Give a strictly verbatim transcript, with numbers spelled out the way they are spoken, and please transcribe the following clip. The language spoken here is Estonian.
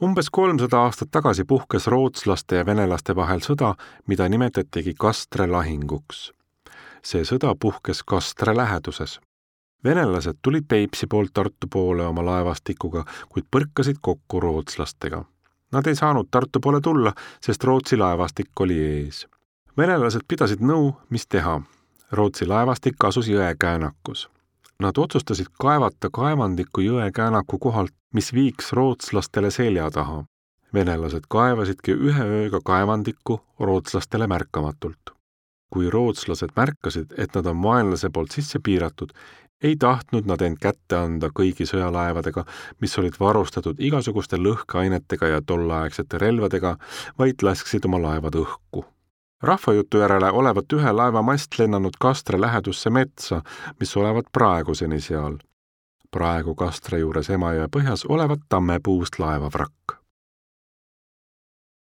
Umbes kolmsada aastat tagasi puhkes rootslaste ja venelaste vahel sõda, mida nimetatigi Kastre lahinguks. See sõda puhkes Kastre läheduses. Venelased tulid Peipsi poolt Tartu poole oma laevastikuga, kuid põrkasid kokku rootslastega. Nad ei saanud Tartu poole tulla, sest Rootsi laevastik oli ees. Venelased pidasid nõu, mis teha. Rootsi laevastik asus jõekäänakus. Nad otsustasid kaevata kaevandiku jõekäänaku kohalt, mis viiks rootslastele selja taha. Venelased kaevasidki ühe ööga kaevandikku rootslastele märkamatult. Kui rootslased märkasid, et nad on vaenlase poolt sisse piiratud, ei tahtnud nad end kätte anda kõigi sõjalaevadega, mis olid varustatud igasuguste lõhkeainetega ja tollaegsete relvadega, vaid lasksid oma laevad õhku. Rahvajutu järele olevat ühe laeva mast lennanud Kastre lähedusse metsa, mis olevat praeguseni seal. Praegu Kastre juures Emajõe põhjas olevat tammepuust laevavrakk.